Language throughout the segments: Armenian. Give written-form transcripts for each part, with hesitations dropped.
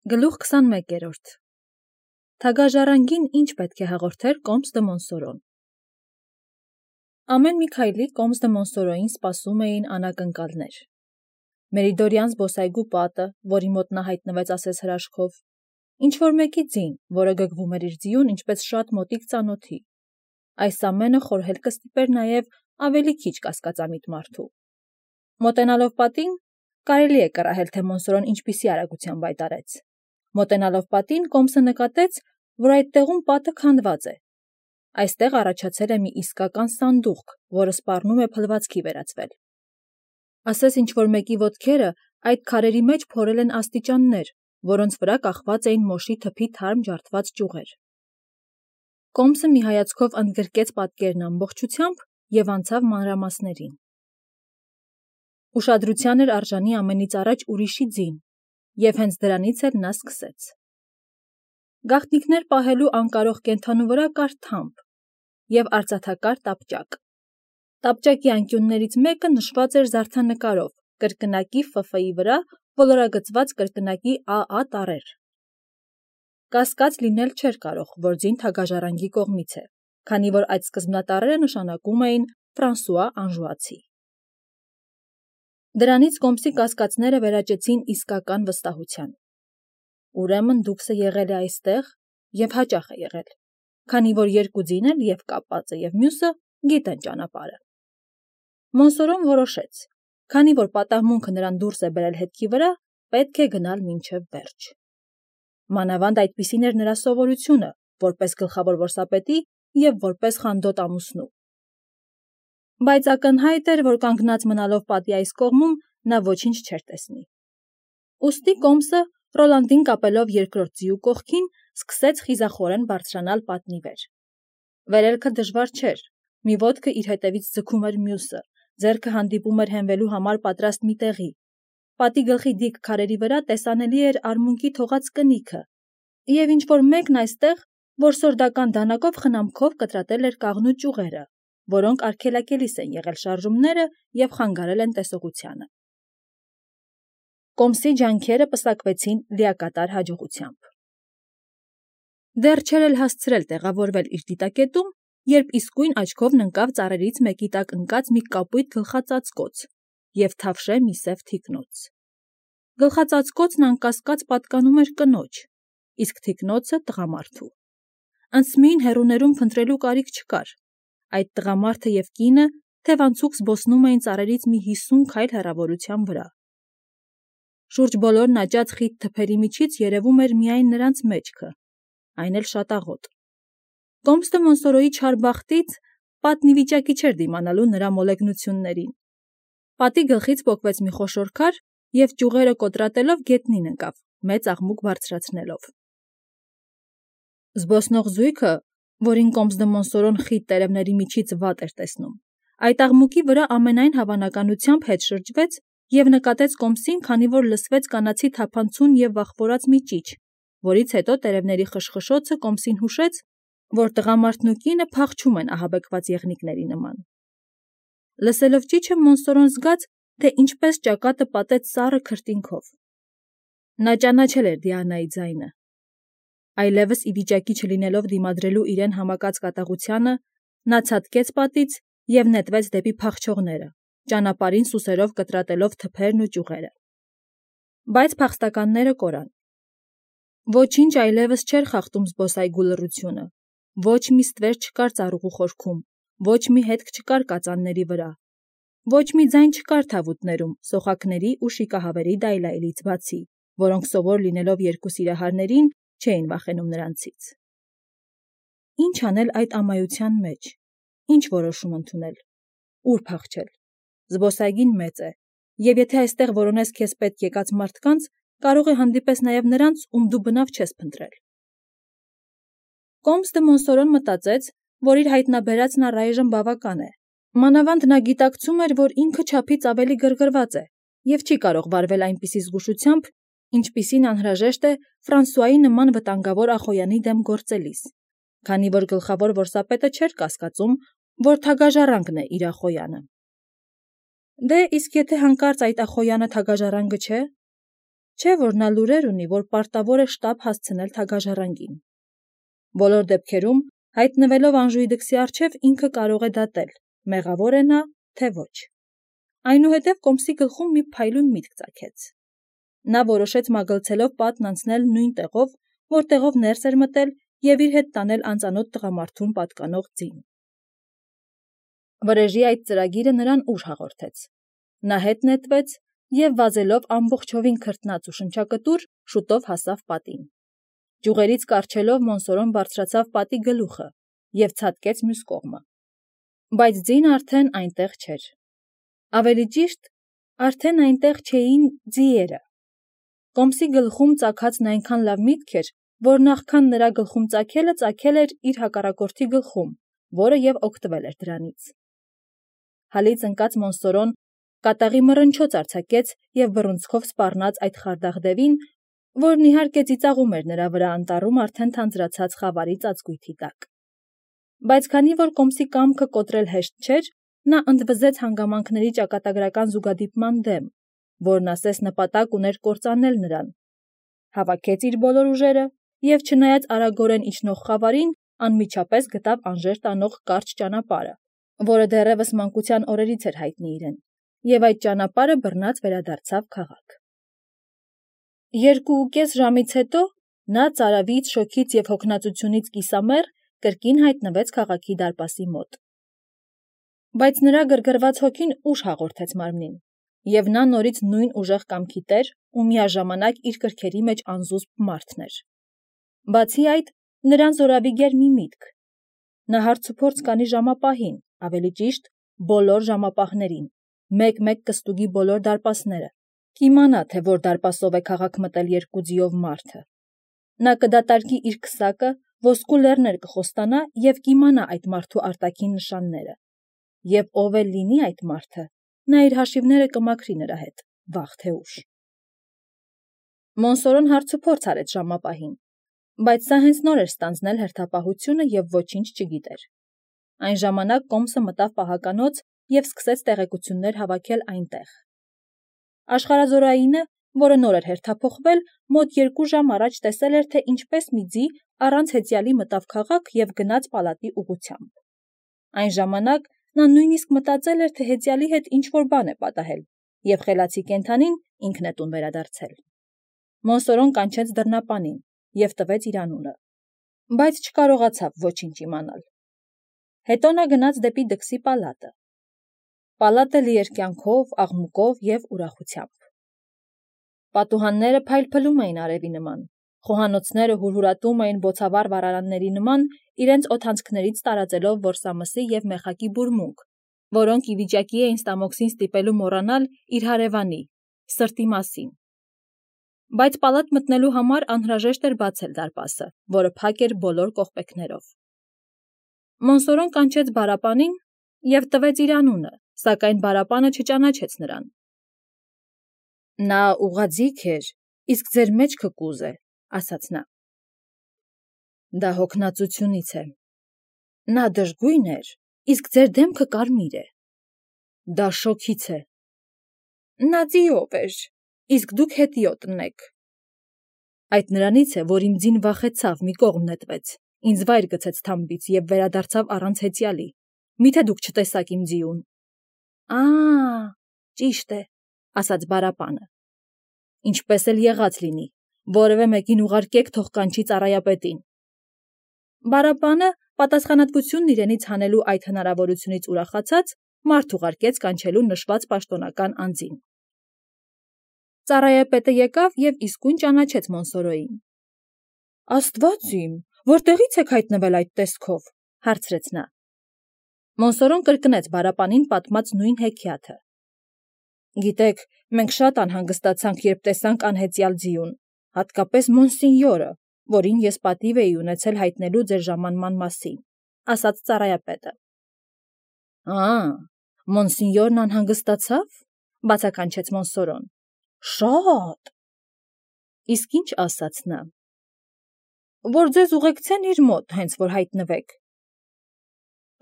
Գլուխ 21-րդ Թագաժառանգին ինչ պետք է հաղորդեր Կոմս դը Մոնսորոն։ Ամեն մի քայլի Կոմս դը Մոնսորոյին սպասում էին անակնկալներ։ Մերիդորյան զբոսայգու պատը, որի մոտ նա հայտնվեց ասես հրաշքով, ինչ-որ մեկի ձին, որը գգվում էր իր ձիուն ինչպես շատ մոտիկ ծանոթի։ Այս ամենը խորհել կստիպեր նաև ավելի քիչ կասկածամիտ մարդու։ Մոտենալով պատին, կարելի է կռահել, թե Մոնսորոն ինչպիսի արագությամբ հայտարարեց։ Մոտենալով պատին Կոմսը նկատեց, որ այդ տեղում պատը քանդված է։ Այստեղ առաջացել է մի իսկական սանդուղք, որը սպառնում է փլվածքի վերածվել։ Ասես ինչ-որ մեկի ոտքերը այդ քարերի մեջ փորել են աստիճաններ, որոնց վրա կախված էին մոշի թփի թարմ ջարդված ճյուղեր։ Կոմսը մի հայացքով ընդգրկեց պատկերն ամբողջությամբ և անցավ մանրամասներին։ Ուշադրության էր արժանի ամենից առաջ ուրիշի ձին, և հենց դրանից էլ նա սկսեց։ Գաղտնիքներ պահելու անկարող կենդանու վրա կար թամփ և արծաթակար տապճակ։ Տապճակի անկյուններից մեկը նշված էր զարդանկարով, կրկնակի Ֆ վրա ոլորագծված կրկնակի ԱԱ տառեր։ Կասկած լինել չէր կարող, որ ձին թագաժառանգի կողմից է, քանի որ այդ սկզբնատառերը նշանակում էին Ֆրանսուଆ Անժուացի։ Դրանից Կոմսի կասկածները վերաճեցին իսկական վստահության։ Ուրեմն դուքսը եղել է այստեղ և հաճախ է եղել, քանի որ երկու ձին էլ և կապվածը և մյուսը գիտեն ճանապարհը։ Մոնսորոն որոշեց, քանի որ պատահմունքը նրան դուրս է բերել հետքի վրա, պետք է գնալ մինչև վերջ։ Մանավանդ այդպիսին էր նրա սովորությունը, որպես գլխավոր որսապետի և որպես խանդոտ ամուսնու։ Բայց ակնհայտ էր, որ կանգնած մնալով պատի այս կողմում նա ոչինչ չէր տեսնի։ Ուստի Կոմսը, Ռոլանդին կապելով երկրորդ ձիու կողքին, սկսեց խիզախորեն բարձրանալ պատնի վեր։ Վերելքը դժվար չէր, մի ոտքը իր հետևից ձգում էր մյուսը, ձեռքը հանդիպում էր հենվելու համար պատրաստ մի տեղի։ Պատի գլխի դիք քարերի վրա տեսանելի էր արմունկի թողած կնիքը, և ինչ-որ մեկն այստեղ որսորդական դանակով խնամքով կտրատել էր կաղնու ճյուղերը, որոնք արգելակելիս են եղել շարժումները և խանգարել են տեսողությանը։ Կոմսի ջանքերը պսակվեցին լիակատար հաջողությամբ։ Դեռ չէր էլ հասցրել տեղավորվել իր դիտակետում, երբ իսկույն աչքովն ընկավ ծառերից մեկի տակ ընկած մի կապույտ գլխածածկոց և թավշե մի սև թիկնոց։ Գլխածածկոցն անկասկած պատկանում էր կնոջ, իսկ թիկնոցը տղամարդու։ Անցմին հեռուներում փնտրելու կարիք չկար։ Այդ տղամարդը և կինը թևանցուկ զբոսնում էին ծառերից մի 50 քայլ հեռավորության վրա։ Շուրջ բոլորն աճած խիտ թփերի միջից երևում էր միայն նրանց մեջքը, այն էլ շատաղոտ։ Կոմս դը Մոնսորոյի չար բախտից պատն ի վիճակի չէր դիմանալու նրա մոլեգնություններին։ Պատի գլխից պոկվեց մի խոշոր քար և ճյուղերը կոտրատելով գետնին ընկավ, մեծ աղմուկ բարձրացնելով։ Զբոսնող զույգը, որին Կոմս դը Մոնսորոն խիտ տերևների միջից վատ էր տեսնում, այդ աղմուկի վրա ամենայն հավանականությամբ հետ շրջվեց և նկատեց Կոմսին, քանի որ լսվեց կանացի թափանցում և վախվորած մի ճիչ, որից հետո տերևների խշխշոցը Կոմսին հուշեց, որ տղամարդն ու կինը փախչում են ահաբեկված եղնիկների նման։ Լսելով ճիչը Մոնսորոն զգաց, թե ինչպես ճակատը պատեց սառը քրտինքով։ Նա ճանաչել էր Դիանայի ձայնը։ Այլևս ի վիճակի չլինելով դիմադրելու իրեն համակած կատաղությանը, նա ցատկեց պատից և նետվեց դեպի փախչողները, ճանապարհին սուսերով կտրատելով թփերն ու ճյուղերը։ Բայց փախստականները կորան։ Ոչինչ այլևս չէր խախտում զբոսայգու լռությունը, ոչ մի ստվեր չկար ծառուղու խորքում, ոչ մի հետք չկար կածանների վրա, ոչ մի ձայն չկար թավուտներում, սոխաքների ու շիկահավերի դայլայլից բացի, որոնք սովոր լինելով երկու սիրահարներին, չէին վախենում նրանցից։ Ինչ անել այդ ամայության մեջ, ինչ որոշում ընդունել, ուր փախչել։ Զբոսայգին մեծ է, և եթե այստեղ որոնես քեզ պետք եկած մարդկանց, կարող է հանդիպես նաև նրանց, ում դու բնավ չես փնտրել։ Կոմս դը Մոնսորոն մտածեց, որ իր հայտնաբերածն առայժմ բավական է։ Մանավանդ նա գիտակցում էր, որ ինքը չափից ավելի գրգռված է և չի կարող վարվել այնպիսի զգուշությամբ, ինչպիսին անհրաժեշտ է Ֆրանսուայի նման վտանգավոր ախոյանի դեմ գործելիս, քանի որ գլխավոր որսապետը չէր կասկածում, որ թագաժառանգն է իր ախոյանը։ Դե, իսկ եթե հանկարծ այդ ախոյանը թագաժառանգը չէ։ Չէ՞ որ նա լուրեր ունի, որ պարտավոր է շտապ հասցնել թագաժառանգին։ Բոլոր դեպքերում, հայտնվելով Անժուի դքսի առջև, ինքը կարող է դատել, մեղավոր է նա, թե ոչ։ Այնուհետև Կոմսի գլխում մի փայլուն միտք ծագեց։ Նա որոշեց մագլցելով պատն անցնել նույն տեղով, որտեղով ներս էր մտել, եւ իր հետ տանել անծանոթ տղամարդուն պատկանող ձին։ Վրեժի այդ ծրագիրը նրան ուժ հաղորդեց։ Նա հետ նետվեց եւ վազելով ամբողջովին քրտնած ու շնչակտուր շուտով հասավ պատին։ Ջուղերից կառչելով Մոնսորոն բարձրացավ պատի գլուխը եւ ցատկեց մյուս կողմը։ Բայց ձին արդեն այնտեղ չէր։ Ավելի ճիշտ, արդեն այնտեղ չէին ձիերը։ Կոմսի գլխում ծագածն այնքան լավ միտք էր, որ նախքան նրա գլխում ծագել էր իր հակառակորդի գլխում, որը եւ օգտվել էր դրանից։ Հալից ընկած Մոնսորոն կատաղի մռնչոց արձակեց եւ բռունցքով սպառնաց այդ խարդախ դևին, որն իհարկե ծիծաղում էր նրա վրա անտառում արդեն թանձրացած խավարի ծածկույթի տակ։ Բայց քանի որ Կոմսի կամքը կոտրել հեշտ չէր, նա ընդվզեց հանգամանքների ճակատագրական զուգադիպման դեմ, որն ասես նպատակ ուներ կործանել նրան։ Հավաքեց իր բոլոր ուժերը եւ չնայած արագորեն իջնող խավարին, անմիջապես գտավ անժեր տանող կարճ ճանապարհը, որը դեռևս մանկության օրերից էր հայտնի իրեն, եւ այդ ճանապարհը բռնած վերադարձավ քաղաք։ 2.5 ժամից հետո նա ծարավից, շոգից եւ հոգնածությունից կիսամեռ կրկին հայտնվեց քաղաքի դարպասի մոտ։ Բայց նրա գրգռված հոգին ուժ հաղորդեց մարմնին, եւ նա նորից նույն ուժեղ կամքի տեր ու միաժամանակ իր կրքերի մեջ անզուսպ մարդն էր։ Բացի այդ, նրան զորավիգեր մի միտք։ Նա հարցուփորձ կանի ժամապահին, ավելի ճիշտ, բոլոր ժամապահներին, մեկ-մեկ կստուգի բոլոր դարպասները, կիմանա, թե որ դարպասով է քաղաք մտել երկու ձիով մարդը։ Նա կդատարկի իր քսակը, ոսկու լեռներ կխոստանա եւ կիմանա այդ մարդու արտաքին նշանները։ Եվ ով էլ լինի այդ մարդը, նա իր հաշիվները կմաքրի նրա հետ, վաղ թե ուշ։ Մոնսորոն հարցուփորձ արեց ժամապահին, բայց սա հենց նոր էր ստանձնել հերթապահությունը եւ ոչինչ չգիտեր։ Այն ժամանակ Կոմսը մտավ պահականոց եւ սկսեց տեղեկություններ հավաքել այնտեղ։ Աշխարհազորայինը, որը նոր էր հերթափոխվել, մոտ 2 ժամ առաջ տեսել էր, թե ինչպես մի ձի առանց հեծյալի մտավ քաղաք եւ գնաց պալատի ուղղությամբ։ Այն ժամանակ նա նույնիսկ մտածել էր, թե հեծյալի հետ ինչ-որ բան է պատահել եւ խելացի կենդանին ինքն է տուն վերադարձել։ Մոնսորոն կանչեց դռնապանին եւ տվեց իր անունը, բայց չկարողացավ ոչինչ իմանալ։ Հետո նա գնաց դեպի դքսի պալատը։ Պալատը լի էր կյանքով, աղմուկով եւ ուրախությամբ։ Պատուհանները փայլփլում էին արևի նման, խոհանոցները հուրհուրատում էին բոցավառ վառարանների նման, իրենց օդանցքներից տարածելով որսամսի եւ մեխակի բուրմունք, որոնք ի վիճակի էին Ստամոքսին ստիպելու մոռանալ իր հարևանի, սրտի մասին։ Բայց պալատ մտնելու համար անհրաժեշտ էր բացել դարպասը, որը փակ էր բոլոր կողպեքներով։ Մոնսորոն կանչեց բարապանին եւ տվեց իր անունը, սակայն բարապանը չճանաչեց նրան։ Նա ուղղաձիգ էր, իսկ ձեր մեջքը կուզ է, ասաց նա։ Դա հոգնածությունից է։ Նա դժգույն էր, իսկ ձեր դեմքը կարմիր է։ Դա շոքից է։ Նա ձիով էր, իսկ դուք հետիոտն եք։ Այդ նրանից է, որ իմ ձին վախեցավ, մի կողմ նետվեց, ինձ վայր գցեց թամբից եւ վերադարձավ առանց հեծյալի։ Միթե դուք չտեսաք իմ ձիուն։ Ճիշտ է, ասաց բարապանը։ Ինչպես էլ եղած լինի, որևէ մեկին ուղարկեք, թող կանչի ծառայապետին։ Բարապանը, պատասխանատվությունն իրենից հանելու այդ հնարավորությունից ուրախացած, մարդ ուղարկեց կանչելու նշված պաշտոնական անձին։ Ծառայապետը եկավ եւ իսկույն ճանաչեց Մոնսորոյին։ Աստված իմ, որտեղից եք հայտնվել այդ տեսքով, հարցրեց նա։ Մոնսորոն կրկնեց բարապանին պատմած նույն հեքիաթը։ Գիտեք, մենք շատ անհանգստացանք, երբ տեսանք անհեծյալ ձիուն, հատկապես Մոնսինյորը, որին ես պատիվ էի ունեցել հայտնելու ձեր ժամանման մասին, ասաց ծառայապետը։ Մոնսինյորն անհանգստացավ, բացականչեց Մոնսորոն։ Շատ։ Իսկ ինչ ասաց նա։ Որ ձեզ ուղեկցեն իր մոտ, հենց որ հայտնվեք։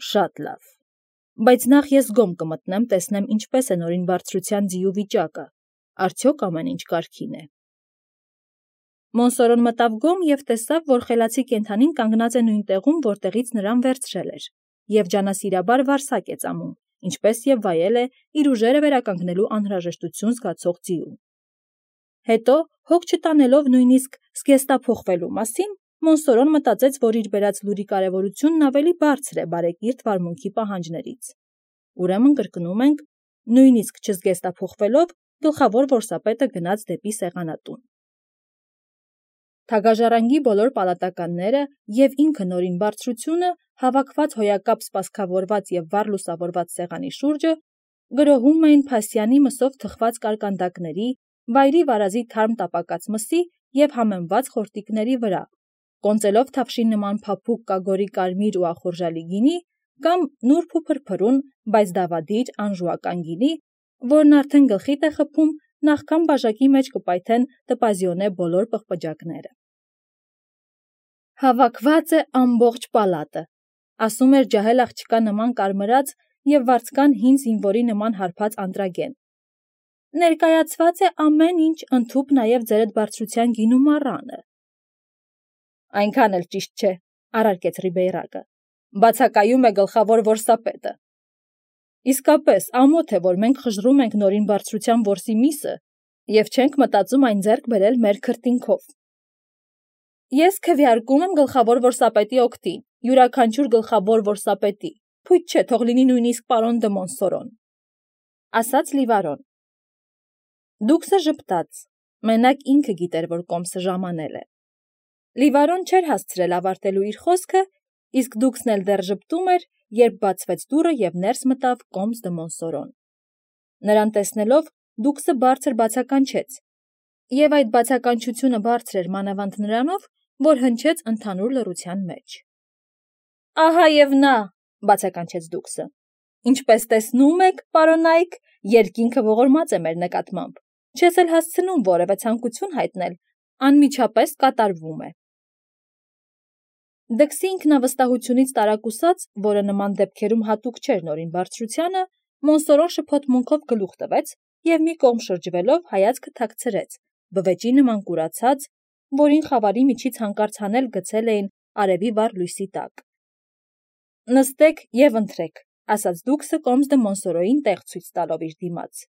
Շատ լավ, բայց նախ ես գոմ կմտնեմ, տեսնեմ ինչպես է նորին բարձրության ձիու վիճակը, արդյոք ամեն ինչ կարգին է։ Մոնսորոն մտավ գոմ և տեսավ, որ խելացի կենդանին կանգնած է նույն տեղում, որտեղից նրան վերցրել էր, և ջանասիրաբար վարսակ է ծամում, ինչպես և վայել է իր ուժերը վերականգնելու անհրաժեշտություն զգացող ձիու։ Հետո, հոգ չտանելով նույնիսկ զգեստափոխվելու մասին, Մոնսորոն մտածեց, որ իր բերած լուրի կարևորությունն ավելի բարձր է բարեկիրթ վարմունքի պահանջներից։ Ուրեմն կրկնում ենք, նույնիսկ չզգեստափոխվելով, գլխավոր որսապետը գնաց դեպի սեղանատուն։ Թագաժառանգի բոլոր պալատականները և ինքը Նորին բարձրությունը, հավաքված հոյակապ սպասքավորված և վառ լուսավորված սեղանի շուրջը, գրոհում էին փասյանի մսով թխված կարկանդակների, վայրի վարազի թարմ տապակած մսի և համեմված խորտիկների վրա, կոնծելով թավշի նման փափուկ կագորի կարմիր ու ախորժալի գինի, կամ նուրբ ու փրփրուն, բայց դավադիր, անժուական գինի, որն արդեն գլխիդ է խփում, նախքան բաժակի մեջ կպայթեն տպազիոնե բոլոր պղպջակները։ Հավաքված է ամբողջ պալատը, ասում էր ջահել աղջկա նման կարմրած և վարձկան հին զինվորի նման հարբած Անդրագեն։ Ներկայացված է ամեն ինչ, ընդհուպ նաև ձերդ բարձրության գինու մառանը։ Այնքան էլ ճիշտ չէ, առարկեց Ռիբեյրակը, բացակայում է գլխավոր որսապետը։ Իսկապես, ամոթ է, որ մենք խժռում ենք Նորին բարձրության որսի միսը և չենք մտածում այն ձեռք բերել մեր քրտինքով։ Ես քվեարկում եմ գլխավոր որսապետի օգտին, յուրաքանչյուր գլխավոր որսապետի, փույթ չէ, թող լինի նույնիսկ պարոն դը Մոնսորոն, ասաց Լիվարոն։ Դուքսը ժպտաց, մենակ ինքը գիտեր, որ կոմսը ժամանել է։ Լիվարոն չէր հասցրել ավարտելու իր խոսքը, իսկ Դուքսն էլ դեռ ժպտում էր, երբ բացվեց դուռը և ներս մտավ կոմս դը Մոնսորոն։ Նրան տեսնելով, Դուքսը բարձր բացականչեց, և այդ բացականչությունը բարձր էր մանավանդ նրանով, որ հնչեց ընդհանուր լռության մեջ։ Ահա և նա, բացականչեց Դուքսը։ Ինչպես տեսնում եք, պարոնայք, երկինքը ողորմած է մեր նկատմամբ, չես էլ հասցնում որևէ ցանկություն հայտնել, անմիջապես կատարվում է։ Դքսի ինքնավստահությունից տարակուսած, որը նման դեպքերում հատուկ չէր Նորին բարձրությանը, Մոնսորոն շփոթմունքով գլուխ տվեց և մի կողմ շրջվելով հայացքը թաքցրեց, բվեճի նման կուրացած, որին խավարի միջից հանկարծ հանել գցել էին արևի վառ լույսի տակ։ Նստեք և ընթրեք, ասաց Դուքսը կոմս դը Մոնսորոյին տեղ ցույց տալով իր դիմաց։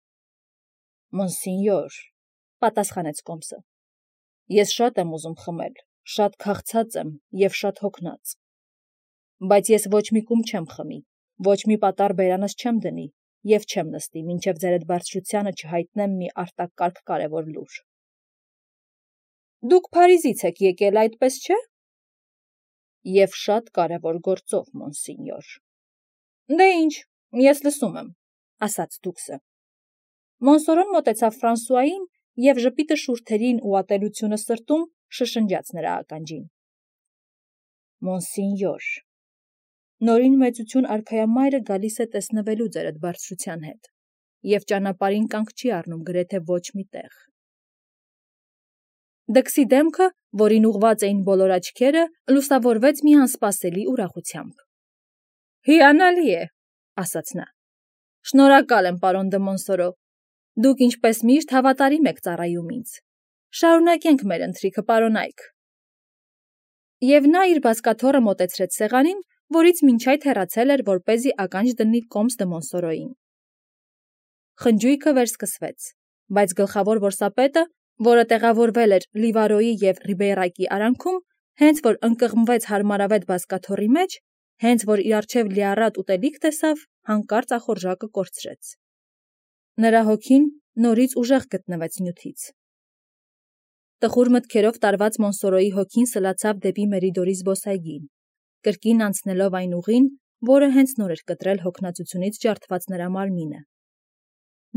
Մոնսինյոր, պատասխանեց կոմսը, ես շատ եմ ուզում խմել, շատ քաղցած եմ և շատ հոգնած, բայց ես ոչ մի կում չեմ խմի, ոչ մի պատառ բերանս չեմ դնի և չեմ նստի, մինչև ձերդ բարձրությանը չհայտնեմ մի արտակարգ կարևոր լուր։ Դուք Փարիզից եք եկել, այդպես չէ։ Եվ շատ կարևոր գործով, մոնսինյոր։ Դե ինչ, ես լսում եմ, ասաց Դուքսը։ Մոնսորոն մոտեցավ Ֆրանսուային և ժպիտը շուրթերին ու ատելությունը սրտում շշնջաց նրա ականջին։ Մոնսինյոր, Նորին մեծություն արքայամայրը գալիս է տեսնվելու ձերդ բարձրության հետ, և ճանապարհին կանգ չի առնում գրեթե ոչ մի տեղ։ Դքսի դեմքը, որին ուղված էին բոլոր աչքերը, լուսավորվեց մի անսպասելի ուրախությամբ։ Հիանալի է, ասաց նա։ Շնորհակալ եմ, պարոն դը Մոնսորո, դուք ինչպես միշտ հավատարիմ եք ծառայում ինձ։ Շարունակենք մեր ընթրիքը, պարոնայք։ Եվ նա իր բազկաթոռը մոտեցրեց սեղանին, որից մինչ այդ հեռացել էր, որպեսզի ականջ դնի կոմս դը Մոնսորոյին։ Խնջույքը վերսկսվեց, բայց գլխավոր որսապետը, որը տեղավորվել էր Լիվարոյի և Ռիբեյրակի արանքում, հենց որ ընկղմվեց հարմարավետ բազկաթոռի մեջ, հենց որ իր առջև լիառատ ուտելիք տեսավ, հանկարծ ախորժակը կորցրեց։ Նրա հոգին նորից ուժեղ գտնվեց նյութից։ Տխուր մտքերով տարված Մոնսորոյի հոգին սլացավ դեպի Մերիդորի զբոսայգին, կրկին անցնելով այն ուղին, որը հենց նոր էր կտրել հոգնածությունից ջարդված նրա մարմինը։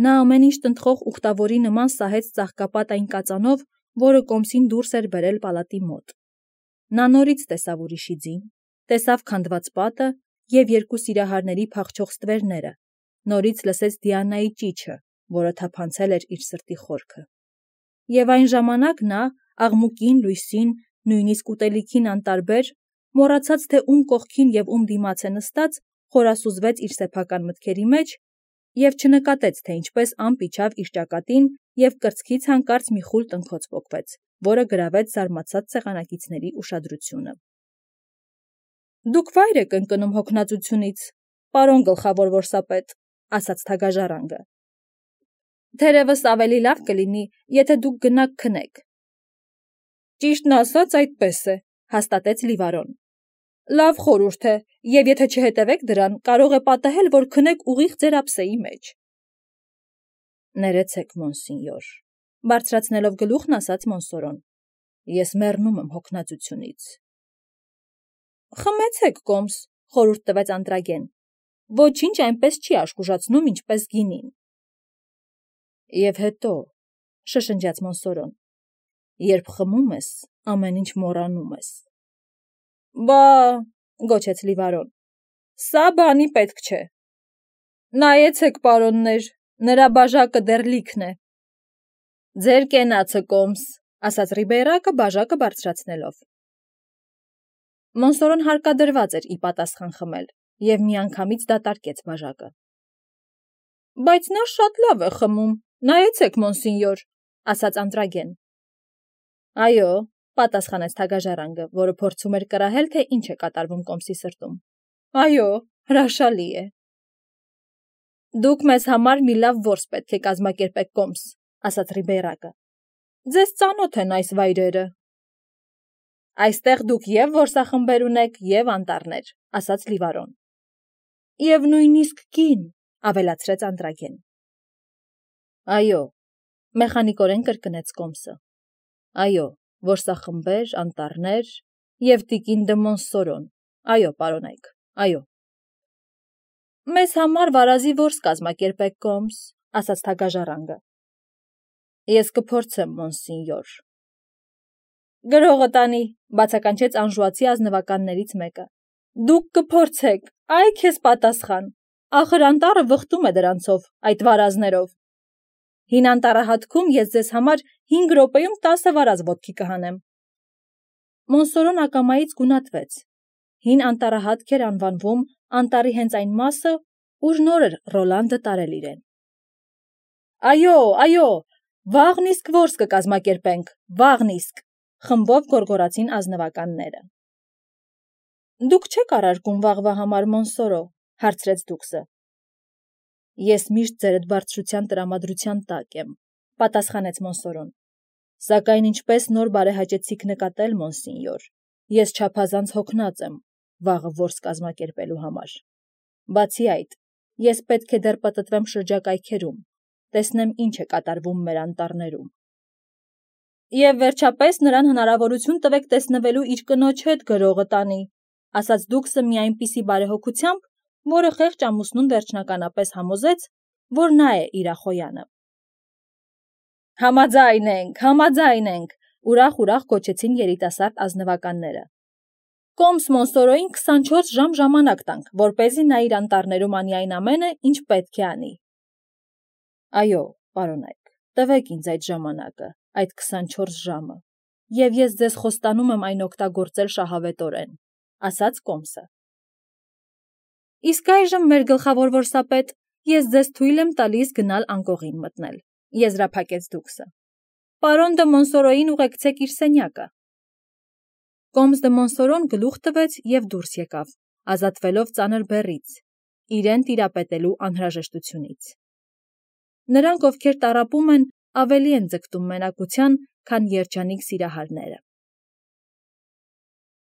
Նա ամեն ինչ տնտղող ուխտավորի նման սահեց ծաղկապատ այն կածանով, որը կոմսին դուրս էր բերել պալատի մոտ։ Նա նորից տեսավ ուրիշի ձին, տեսավ քանդված պատը և երկու սիրահարների փախչող ստվերները, նորից լսեց Դիանայի ճիչը, որը թափանցել էր իր սրտի խորքը։ Եվ այն ժամանակ նա, աղմուկին, լույսին, նույնիսկ ուտելիքին անտարբեր, մոռացած թե ում կողքին և ում դիմաց է նստած, խորասուզվեց իր սեփական մտքերի մեջ և չնկատեց, թե ինչպես ամպ իջավ իր ճակատին և կրծքից հանկարծ մի խուլ տնքոց պոկվեց, որը գրավեց զարմացած սեղանակիցների ուշադրությունը։ «Դուք վայր եք ընկնում հոգնածությունից, պարոն գլխավոր որսապետ», ասաց թագաժառանգը։ «Թերևս ավելի լավ կլինի, եթե դուք գնաք քնեք»։ «Ճիշտն ասած, այդպես է», հաստատեց Լիվարոն։ «Լավ խորհուրդ է, եւ եթե չհետևեք դրան, կարող է պատահել, որ քնեք ուղիղ ձեր ափսեի մեջ»։ «Ներեցեք, մոնսինյոր», բարձրացնելով գլուխն ասաց Մոնսորոն։ «Ես մեռնում եմ հոգնածությունից»։ «Խմեցեք կոմս», խորհուրդ տվեց Անտրագեն։ «Ոչինչ այնպես չի աշխուժացնում, ինչպես գինին»։ «Եվ հետո», շշնջաց Մոնսորոն, «երբ խմում ես, ամեն ինչ մոռանում ես»։ «Բա», գոչեց Լիվարոն, «սա բանի պետք չէ»։ «Նայեցեք, պարոններ, նրա բաժակը դեռ լիքն է»։ «Ձեր կենացը կոմս», ասաց Ռիբեյրակը բաժակը բարձրացնելով։ Մոնսորոն հարկադրված էր ի պատասխան խմել և միանգամից դատարկեց բաժակը։ «Բայց նա շատ լավ է խմում, նայեցեք, մոնսինյոր», ասաց Անտրագեն։ «Այո», պատասխանեց թագաժառանգը, որը փորձում էր կռահել, թե ինչ է կատարվում կոմսի սրտում։ «Այո, հրաշալի է»։ «Դուք մեզ համար մի լավ որս պետք է կազմակերպեք, կոմս», ասաց Ռիբեյրակը։ «Ձեզ ծանոթ են այս վայրերը»։ «Այստեղ դուք և որսախմբեր ունեք, և անտառներ», ասաց Լիվարոն։ «Եվ նույնիսկ կին», ավելացրեց Անտրագեն։ «Այո», մեխանիկորեն կրկնեց կոմսը։ «Այո, որսախմբեր, անտառներ և տիկին դը Մոնսորոն, այո, պարոնայք, այո»։ «Մեզ համար վարազի որս կազմակերպեք, կոմս», ասաց թագաժառանգը։ «Ես կփորձեմ, մոնսինյոր»։ «Գրողը տանի», բացականչեց անժուացի ազնվականներից մեկը։ «Դուք կփորձեք, այ քեզ պատասխան, ախր անտառը վխտում է դրանցով, այդ վարազներով։ Հին անտառահատքում ես ձեզ համար 5 րոպեում 10 վարազ ոտքի կհանեմ»։ Մոնսորոն ակամայից գունատվեց։ Հին անտառահատք էր անվանվում անտառի հենց այն մասը, ուր նոր էր Ռոլանդը տարել իրեն։ «Այո, այո, վաղն իսկ որս կկազմակերպենք, վաղն իսկ», խմբով գոռգոռացին ազնվականները։ «Դուք չեք առարկում վաղվա համար, Մոնսորո», հարցրեց դուքսը։ «Ես միշտ ձերդ բարձրության տրամադրության տակ եմ», պատասխանեց Մոնսորոն։ «Սակայն ինչպես նոր բարեհաճեցիք նկատել, մոնսինյոր, ես չափազանց հոգնած եմ վաղը որս կազմակերպելու համար։ Բացի այդ, ես պետք է դեռ պտտվեմ շրջակայքերում, տեսնեմ ինչ է կատարվում մեր անտառներում»։ «Եվ վերջապես նրան հնարավորություն տվեք տեսնվելու իր կնոջ հետ, գրողը տանի», ասաց դուքսը մի այնպիսի բարեհոգությամբ, որը խեղճ ամուսնուն վերջնականապես համոզեց, որ նա է իրախոյանը։ Համաձայն ենք, ուրախ գոչեցին երիտասարդ ազնվականները։ «Կոմս Մոնսորոյին 24 ժամ ժամանակ տանք, որպեսզի նա իր անտառներում անի այն ամենը, ինչ պետք է անի»։ «Այո, պարոնայք, տվեք ինձ այդ ժամանակը, այդ 24 ժամը, և ես ձեզ խոստանում եմ այն օգտագործել շահավետորեն», ասաց կոմսը։ «Իսկ այժմ, մեր գլխավոր որսապետ, ես ձեզ թույլ եմ տալիս գնալ անկողին մտնել», եզրափակեց դուքսը։ «Պարոն դը Մոնսորոյին ուղեկցեք իր սենյակը»։ Կոմս դը Մոնսորոն գլուխ տվեց և դուրս եկավ, ազատվելով ծանր բեռից, իրեն տիրապետելու անհրաժեշտությունից։ Նրանք, ովքեր տառապում են, ավելի են ձգտում մենակության, քան երջանիկ սիրահարները։